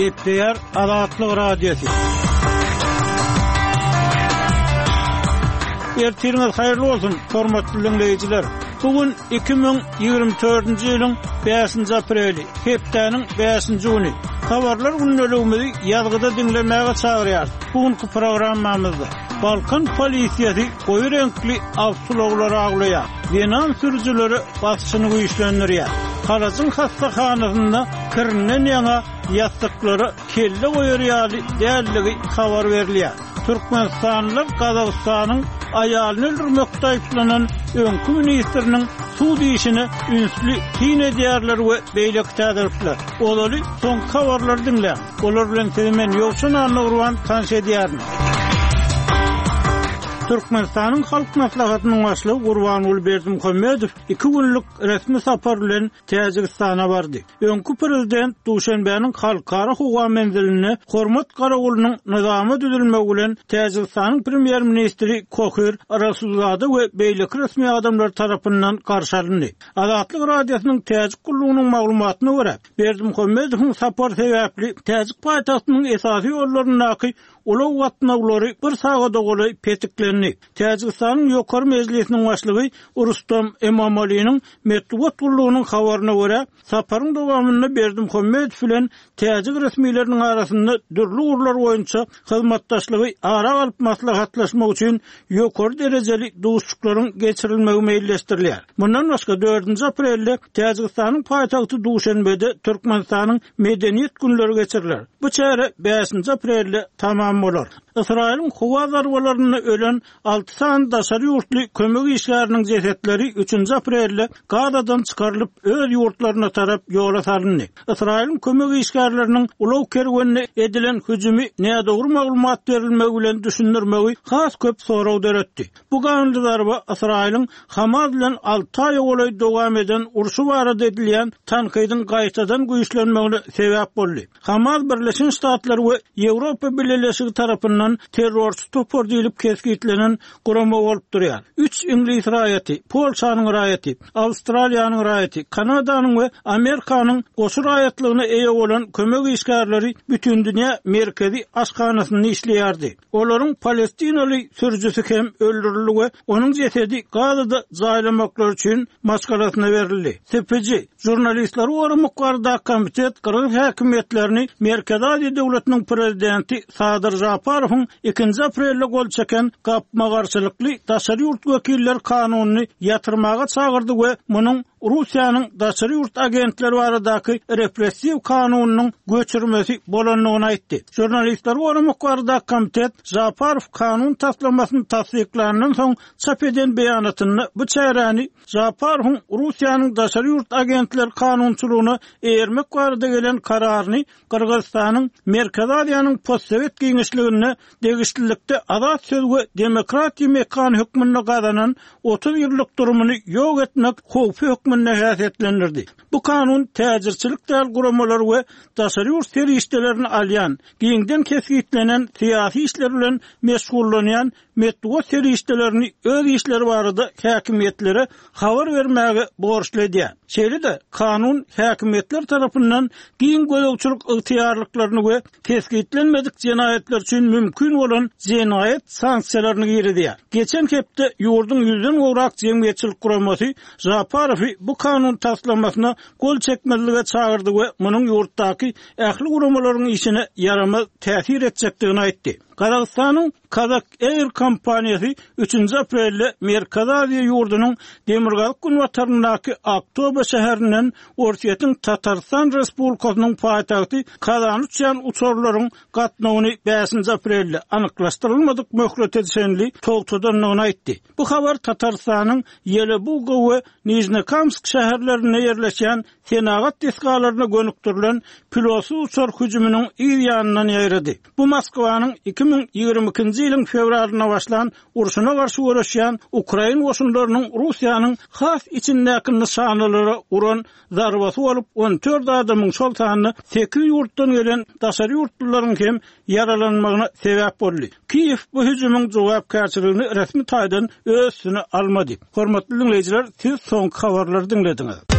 Gepleýär Azatlyk Radiosy. Ertiriňiz haýyrly bolsun, hormatly diňleýjiler! Bu gün 2024-nji ýylyň bäşinji apreli, hepdäniň bäşinji güni. Habarlar gündeligimizi ýazgyda diňlemäge çagyrýarys. Bu günki programmamyzda Balkan polisiýasy goýy reňkli awtoulaglary awlaýar, zenan sürüjilere basyşyny güýçlendirýär. Halajyň hassahanasynda kirinden ýaňa ýassyklara kelle goýar ýaly däldigi habar berilýär. Türkmenistanlylar Gazagystanyň aýalyny öldürmekde aýyplanan öňki ministriniň sud işine ünsli syn edýärler we beýleki täzelikler. Ozaly soňky habarlary diňläň. Olar bilen sizi men Ýowşan Annagurban tanyş edýärin. Türkmenistanyň Halk Maslahatynyň Başlygy Gurbanguly Berdimuhamedow iki günlük resmi sapar bilen Täjigistana bardy. Öňki prezident Duşenbäniň halkara howa menzilinde hormat garawulynyň nyzama düzülmegi bilen Täjigistanyň premýer-ministri Kohir Rasulzada we beýleki resmi adamlar tarapyndan garşy alyndy. Azatlyk Radiosynyň Täjik gullugynyň maglumatyna görä, Berdimuhamedowyň sapary sebäpli täjik paýtagtynyň esasy ýollaryndaky ulag gatnawlary bir sagada golaý petiklendi. Täjigistanyň Ýokary Mejlisiniň başlygy Rustam Emomaliniň metbugat gullugynyň habaryna görä, saparyň dowamynda Berdimuhamedow bilen täjik resmileriniň arasynda dürli ugurlar boýunça hyzmatdaşlygy ara alyp maslahatlaşmak üçin ýokary derejeli duşuşyklaryň geçirilmegi meýilleşdirilýär. Mundan başga, dördünji aprelde Täjigistanyň paýtagty Duşenbede Türkmenistanyň Medeniýet günleri geçiriler. Bu çäre bäşinji aprelde tamam bolar. Ysraýylyň howa zarbalarynda ölen Alty sany daşary ýurtly kömek işgäriniň jesetleri üçünji aprelde Gazadan çykarylyp, öz ýurtlaryna tarap ýola salyndy. Ysraýylyň kömek işgärleriniň ulag kerwenine edilen hüjümi nädogry maglumat berilmegi bilen düşündirmegi has köp sorag döretdi. Bu ganly zarba Ysraýylyň Hamas bilen alty aýa golaý dowam eden urşy barada edilýän tankydyň gaýtadan güýçlenmegine sebäp boldy. Hamas Birleşen Ştatlar we Ýewropa Bileleşigi tarapyndan terrorçy topar diýlip kesgitlenen gurama bolup durýar. Üç iňlis raýaty, Polşanyň raýaty, Awstraliýanyň raýaty, Kanadanyň we Amerikanyň goşa raýatlygyna eýe bolan kömek işgärleri Bütindünýä merkezi aşhanasynda işleýärdi. Olaryň palestinaly sürüjisi hem öldürildi we onuň jesedi Gazada jaýlamaklary üçin maşgalasyna berildi. SPJ, Žurnalistleri goramak baradaky komitet gyrgyz häkimiýetlerini Merkezi Aziýa döwletiniň prezidenti Sadyr Žaparowyň ikinji aprelde gol çeken gapma-garşylykly daşary ýurt wekilleri kanunyny ýatyrmaga çagyrdy we munuň Russiýanyň daşary ýurt agentleri baradaky repressiw kanunynyň göçürmesi bolandygyny aýtdy. Žurnalistleri goramak baradaky komitet Žaparow kanun taslamasyny tassyklandan soň çap eden beýanatynda bu çäräni Žaparowyň Russiýanyň daşary ýurt agentleri kanunçylygyna eýermek barada gelen kararyny Gyrgyzystanyň Merkezi Aziýanyň postsowet giňişliginde degişlilikde azat söz we demokratiýa mekany hökmünde gazanan 30 ýyllyk durumyny ýok etmek howpy hökmünde häsiýetlendirdi. Bu kanun täjirçilik däl guramalar we daşary ýurt serişdelerini alýan, giňden kesgitlenen syýasy işler bilen meşgullanýan metbugat serişdelerini öz işleri barada häkimiýetlere habar bermäge borçly edýär. Şeýle-de, kanun häkimiýetler tarapyndan giň gözegçilik ygtyýarlyklaryny we kesgitlenmedik jenaýatlar üçin mümkin bolan jenaýat sanksiýalaryny girizýär. Geçen hepde ýurduň ýüzden gowrak jemgyýetçilik guramasy Žaparowy bu kanun taslamasyna gol çekmezlige çagyrdy we munuň ýurtdaky ähli guramalaryň işine ýaramaz täsir etjekdigini aýtdy. Gazagystanyň Kazak Air kompaniýasy üçünji aprelde Merkezi Aziýa ýurdunyň demirgazyk-günbataryndaky Aktobe şäherinden Orsýetiň Tatarystan Respublikasynyň paýtagty Kazana uçýan uçarlaryň gatnawyny bäşinji aprelde anyklaşdyrylmadyk möhlete çenli togtadandygyny aýtdy. Bu habar Tatarystanyň Ýelebuga we Nižnekamsk şäherlerinde ýerleşýän senagat desgalaryna gönükdirilen pilotsyz uçar hüjüminiň yz ýanyndan ýaýrady. Bu Moskwanyň 2022-nji ýylyň fewralynda başlan urşuna garşy göreşýän ukrain goşunlarynyň Russiýanyň has içindäki nyşanalara uran zarbasy bolup, 14 adamyň, şol sanda sekiz ýurtdan gelen daşary ýurtlularyň hem ýaralanmagyna sebäp boldy. Kiýew bu hüjümiň jogapkärçiligini resmi taýdan öz üstüne almady. Hormatly diňleýjiler, siz soňky habarlary diňlediňiz.